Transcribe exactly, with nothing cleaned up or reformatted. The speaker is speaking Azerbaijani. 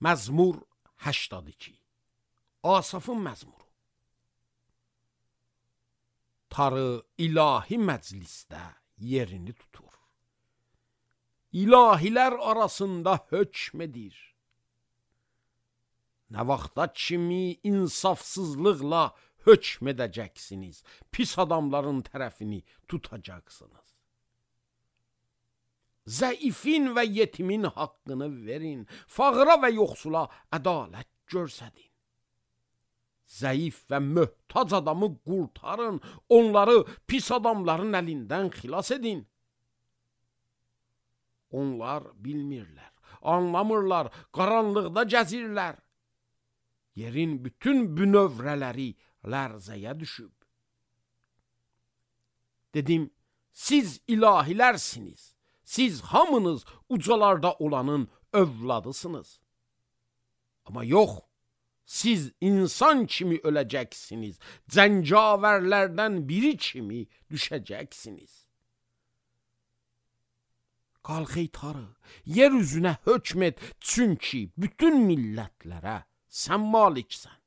Məzmur səksən iki. Asafın məzmuru. Tarı ilahi məclisdə yerini tutur. İlahilər arasında hökm edir. Nə vaxta kimi insafsızlıqla hökm edəcəksiniz, pis adamların tərəfini tutacaqsınız. Zəifin və yetimin haqqını verin, fağıra və yoxsula ədalət görsədin. Zəif və möhtac adamı qurtarın, onları pis adamların əlindən xilas edin. Onlar bilmirlər, anlamırlar, qaranlıqda gəzirlər. Yerin bütün bünövrələri lərzəyə düşüb. Dedim, siz ilahilərsiniz, siz hamınız ucalarda olanın övladısınız. Amma yox, siz insan kimi öləcəksiniz, cəngavərlərdən biri kimi düşəcəksiniz. Qalx ey Tarı, yer üzünə hökm et, çünki bütün millətlərə sən maliksən.